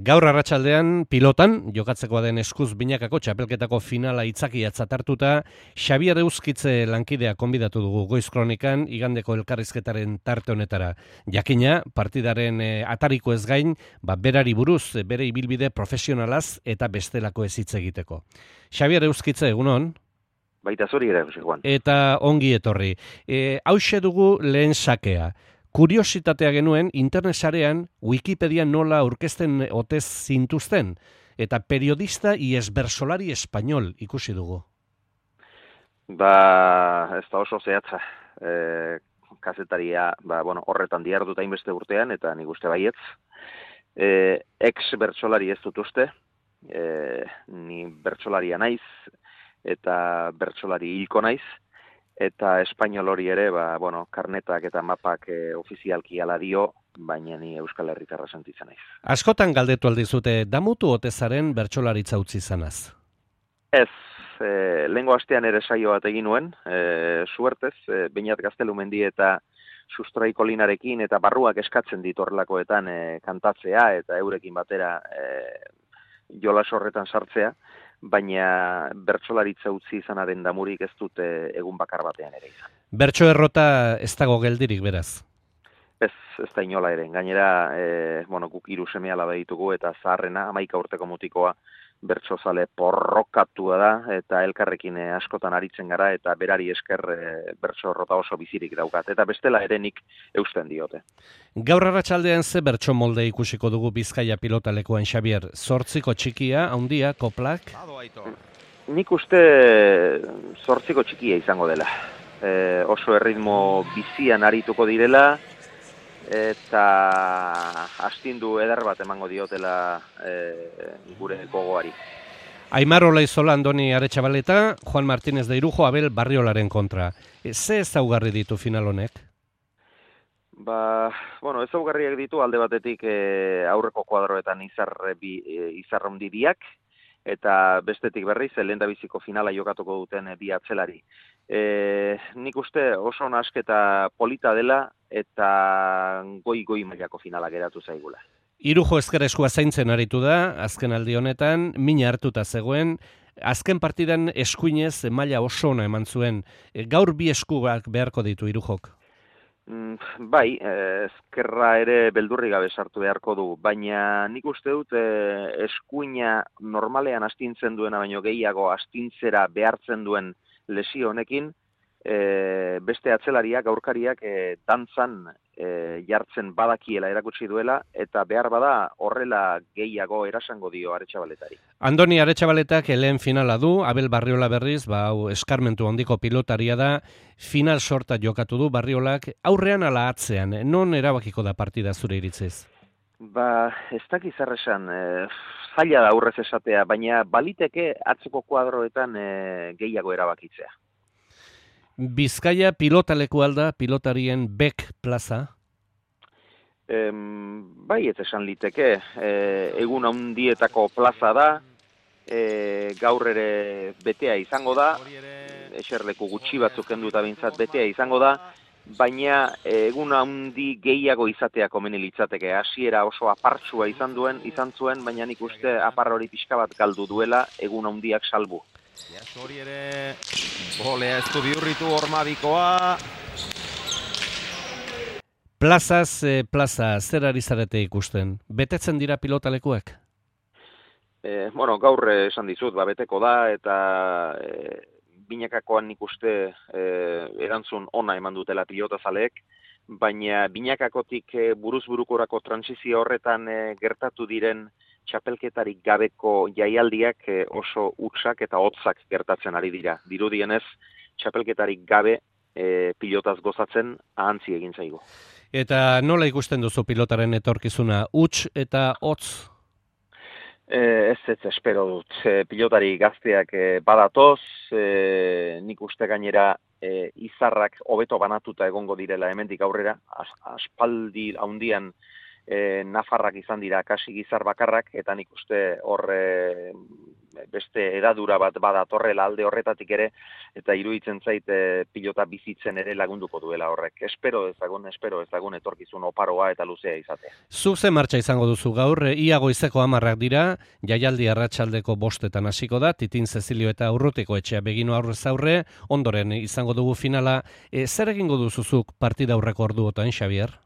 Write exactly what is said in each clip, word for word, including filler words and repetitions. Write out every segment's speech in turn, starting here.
Gaur arratsaldean pilotan, jokatzekoa den eskuz binakako txapelketako finala itzakiatzat hartuta, Xabier Euskitze lankidea konbidatu dugu Goiz Kronikan igandeko elkarrizketaren tarte honetara. Jakina, partidaren e, atariko ez gain, ba, berari buruz, bere ibilbide profesionalaz eta bestelako ez hitz egiteko. Xabier Euskitze, egunon? Baita zuri ere, Jose Juan. Eta ongi etorri. E, hauxe dugu lehen sakea. Kuriositatea genuen, internet sarean Wikipedia nola aurkezten otez zintuzten, eta periodista y esbersolari español ikusi dugu. Ba, ez da oso zehatza. E, kazetaria, ba, bueno, horretan diarduta hainbeste urtean, eta nik uste baietz. E, ex-bertsolari ez dut uste, e, ni bertsolaria naiz, eta bertsolari hilko naiz, eta espainol hori ere, ba, bueno, karnetak eta mapak e, ofizialki ala dio, baina ni Euskal Herritarra sentitzen naiz. Askotan galdetu aldizute, damutu otezaren bertsolaritza utzi zanaz? Ez, e, lehengo astean ere saio bat egin nuen, e, suertez, e, Beñat Gaztelumendi eta Sustraiko Linarekin eta barruak eskatzen dit horrelakoetan e, kantatzea eta eurekin batera e, jolas horretan sartzea, baina bertsolaritza utzi izanaren damurik ez dute egun bakar batean ere izan. Bertso errota ez dago geldirik, beraz? Ez, ez da inola ere. Gainera, e, bueno, guk hiru seme-alaba ditugu eta zaharrena, hamaika urteko mutikoa, bertsozale porrokatua da, eta elkarrekin e, askotan aritzen gara, eta berari esker e, bertso errota oso bizirik daukat. Eta bestela ere nik eusten diote. Gaur arratsaldean ze bertso molde ikusiko dugu Bizkaia pilotalekuan, Xabier? Zortziko txikia, handia, koplak? Nik uste zortziko txikia izango dela. E, oso erritmo bizian arituko direla, eta astindu eder bat emango diotela e, gure gogoari. Aimar Olaizola, Andoni Aretxabaleta, Juan Martínez de Irujo, Abel Barriolaren kontra. E, ze ezaugarri ditu final honek? Ba, bueno, ezaugarriak ditu alde batetik e, aurreko kuadroetan izar, bi, e, izarrondidiak, eta bestetik berriz, lehendabiziko finala jokatuko duten e, bi atzelari. E, nik uste oso nasketa polita dela eta goi-goi mailako finala geratu zaigula. Irujo ezker eskua zaintzen aritu da, azken aldi honetan, mina hartuta zegoen, azken partidan eskuinez maila oso ona eman zuen. E, gaur bi eskuak beharko ditu Irujok? Mm, bai, ezkerra ere beldurri gabe sartu beharko du, baina nik uste dut e, eskuina normalean astintzen duena baino gehiago astintzera behartzen duen lesio honekin, e, beste atzelariak, aurkariak e, dantzan e, jartzen badakiela erakutsi duela, eta behar bada horrela gehiago erasango dio Aretxabaletari. Andoni Aretxabaletak lehen finala du, Abel Barriola berriz, ba, hau eskarmentu handiko pilotaria da, final sorta jokatu du Barriolak, aurrean ala atzean, non erabakiko da partida zure iritziz? Ba, ez dakiz erresan, e, zaila da aurrez esatea, baina baliteke atzeko kuadroetan e, gehiago erabakitzea. Bizkaia pilotaleku alda, pilotarien bek plaza? Em, bai, ez esan liteke, e, egun handietako plaza da, e, gaur ere betea izango da, eserleku gutxi batzuk kenduta bintzat betea izango da, baina egun handi gehiago izatea komeni litzateke. Hasiera oso apartsua izan duen, izan zuen, baina nik uste apar hori pixka bat galdu duela egun handiak salbu. Hori ere, bolea ez du bihurritu hormadikoa. Plazaz, e, plaza, zer ari zarete ikusten? Betetzen dira pilotalekuak? E, bueno, gaur esan dizut, ba, beteko da, eta e, binakakoan nik uste e, erantzun ona eman dutela pilotazaleek, baina binakakotik e, buruz-burukorako transizio horretan e, gertatu diren txapelketarik gabeko jaialdiak e, oso hutsak eta hotzak gertatzen ari dira. Dirudienez, txapelketarik gabe e, pilotaz gozatzen ahantzi egin zaigu. Eta nola ikusten duzu pilotaren etorkizuna, huts eta hotz? E, ez ez espero dut. E, pilotari gazteak e, badatoz, e, nik uste gainera e, izarrak hobeto banatuta egongo direla hemendik aurrera, as, aspaldi haundian e, nafarrak izan dira kasi gizar bakarrak, eta nik uste hor e, beste edadura bat badatorrela alde horretatik ere, eta iruditzen zait e, pilota bizitzen ere lagunduko duela horrek. Espero ezagun, espero ezagun etorkizun oparoa eta luzea izatea. Zuk ze martxa izango duzu gaur, ia goizeko hamarrak dira, jaialdi arratsaldeko bostetan hasiko da, Titin Cecilio eta Urrutiko etxea begino aurrez aurre, ondoren izango dugu finala. E, zer egingo duzuzuk partida aurreko orduotan, Xabier?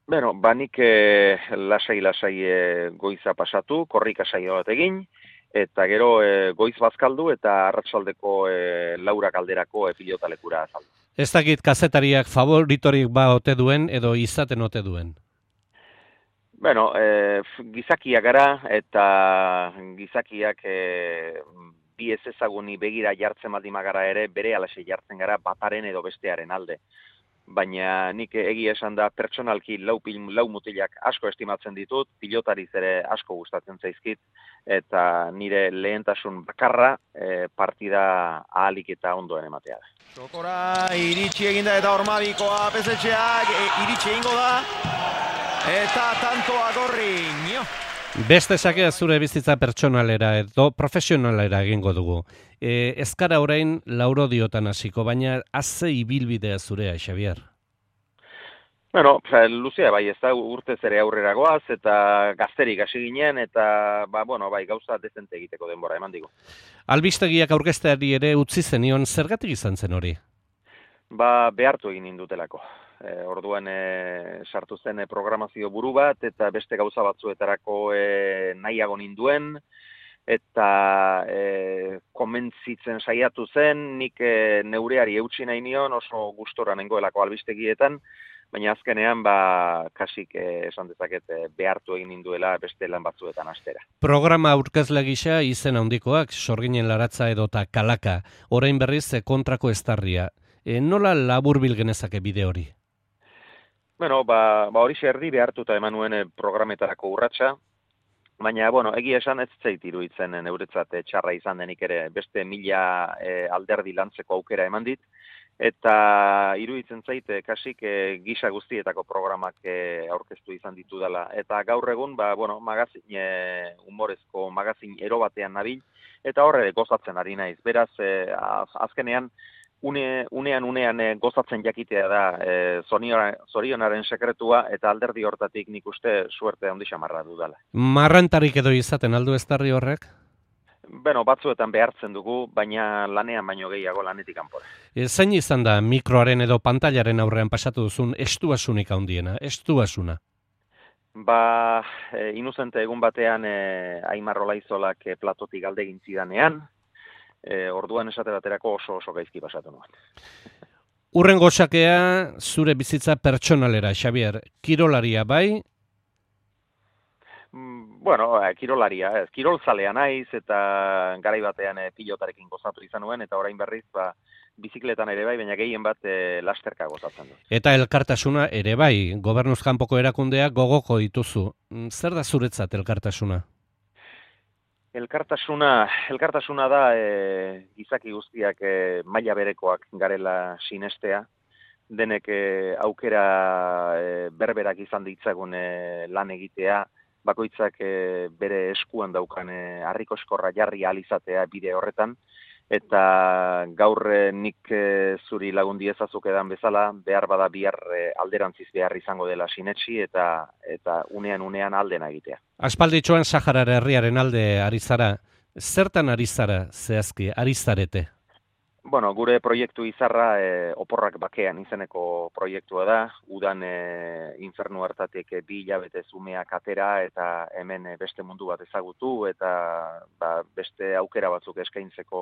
Bueno, banik e, lasai-lasai e, goiza pasatu, korrika saio bat egin, eta gero e, goiz bazkaldu eta arratsaldeko e, laurak alderako e, pilotalekura azaldu. Ez dakit kazetariak favoritorik ba ote duen edo izaten ote duen? Bueno, e, gizakiak gara eta gizakiak e, bi ez ezaguni begira jartzen baldin magara ere, bere alaxe jartzen gara bataren edo bestearen alde. Baina nik egia esan da pertsonalki lau, lau mutilak asko estimatzen ditut, pilotariz ere asko gustatzen zaizkit, eta nire lehentasun bakarra e, partida ahalik eta ondoen ematea da. Txokora iritsi eginda eta Ormabikoa pezetxeak e, iritsi egingo da, eta tantoa gorri, nio. Beste sakea zure bizitza pertsonalera edo profesionalera egingo dugu. E, ez gara orain laurodiotan hasiko, baina haze ibilbidea zurea, Xabier. Bueno, luzea bai, ez da urtez ere aurrera goaz, eta gazterik hasi ginen, eta ba, bueno, bai, gauza dezente egiteko denbora eman digu. Albistegiak aurkezteari ere utzi zenion, zergatik izan zen hori? Ba, behartu egin indutelako. E, orduan e, sartu zen e, programazio buru bat, eta beste gauza batzuetarako e, nahiago ninduen, eta e, komentzitzen saiatu zen, nik e, neureari eutsi nahi nion, oso gustora nengoelako albistegietan, baina azkenean ba, kasik e, esan dezaket e, behartu egin ninduela beste lan batzuetan astera. Programa aurkezle gisa izen handikoak, Sorginen Laratza edota Kalaka, orain berriz e, kontrako estarria. E, nola laburbil genezake bide hori? Bueno, ba, ba hori erdi behartuta eman nuen programetarako urratsa, baina, bueno, egia esan ez zait iruditzen neuretzat txarra izan denik ere beste mila e, alderdi lantzeko aukera eman dit, eta iruditzen zait kasik e, gisa guztietako programak e, aurkeztu izan ditu dela. Eta gaur egun, ba, bueno, magazin, e, humorezko magazin ero batean nabil, eta horre gozatzen ari naiz. Beraz, e, azkenean, Une, unean unean e, gozatzen jakitea da e, zorionaren sekretua eta alderdi hortatik nik uste suerte handi xamarra dudala. Marrantarik edo izaten aldu estarri horrek? Beno, batzuetan behartzen dugu, baina lanean baino gehiago lanetik kanpora. E, zein izan da mikroaren edo pantailaren aurrean pasatu duzun estuasunik handiena, estuasuna? Ba, e, inuzente egun batean e, Aimar Olaizolak e, platotik alde egin zidanean, E, orduan esate baterako oso oso gaizki pasatu nuen. Urrengo sakea zure bizitza pertsonalera, Xabier. Kirolaria bai? Mm, bueno, eh, kirolaria, ez. Kirolzalea naiz eta garai batean eh, pilotarekin gozatu izan nuen, eta orain berriz ba, bizikletan ere bai, baina gehien bat eh, lasterka gozatzen du. Eta elkartasuna ere bai, gobernuz kanpoko erakundeak gogoko dituzu. Zer da zuretzat elkartasuna? Elkartasuna, elkartasuna da e, gizaki guztiak e, maila berekoak garela sinestea, denek e, aukera e, berberak izan ditzagun e, lan egitea, bakoitzak e, bere eskuan daukan e, harriko eskorra jarri ahal izatea bide horretan, eta gaur e, nik e, zuri lagundi ezazuk edan bezala, behar bada bihar e, alderantziz behar izango dela sinetsi eta eta unean unean aldena egitea. Aspalditxoan Saharar herriaren alde ari zara, zertan ari zara zehazki, ari zarete? Bueno, gure proiektu izarra e, oporrak bakean izeneko proiektua da, udan e, infernu hartatik e, bi hilabete zumeak atera eta hemen e, beste mundu bat ezagutu eta ba, beste aukera batzuk eskaintzeko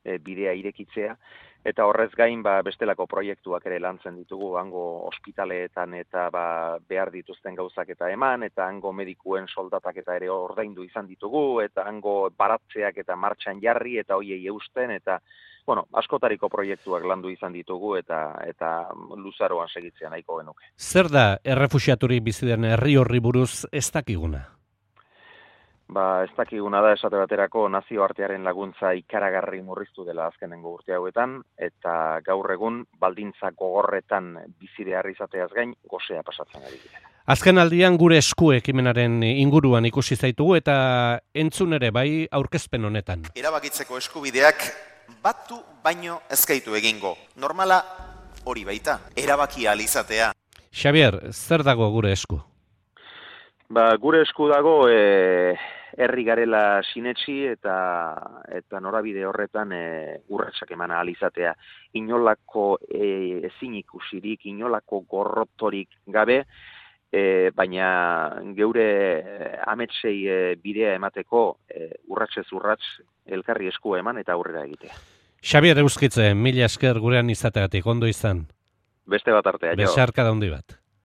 e, bidea irekitzea. Eta horrez gain ba, bestelako proiektuak ere lantzen ditugu, hango ospitaleetan eta ba, behar dituzten gauzak eta eman, eta hango medikuen soldatak eta ere ordaindu izan ditugu, eta hango baratzeak eta martxan jarri eta hoiei eusten, eta bueno, askotariko proiektuak landu izan ditugu eta eta luzaroan segitzea nahiko genuke. Zer da errefuxiaturik bizi den herri horri buruz ez dakiguna? ba, ez dakiguna da esate baterako nazioartearen laguntza ikaragarri murriztu dela azkenengo urte hauetan, eta gaur egun baldintza gogorretan bizi behar izateaz gain gosea pasatzen ari dira. Azken aldian gure esku ekimenaren inguruan ikusi zaitugu eta entzun ere bai aurkezpen honetan. Erabakitzeko eskubideak batu baino ezkaitu egingo. Normala hori baita, erabaki ahal izatea. Xabier, zer dago gure esku? Ba, gure esku dago e, herri garela sinetsi eta eta norabide horretan e, urratsak eman ahal izatea. Inolako e, ezin ikusirik, inolako gorrotorik gabe, E, baina geure ametsei e, bidea emateko e, urratsez urrats elkarri eskua eman eta aurrera egitea. Xabier Euskitze, mila esker gurean izateagatik, ondo izan. Beste bat artea, jo. Besarka da handi bat.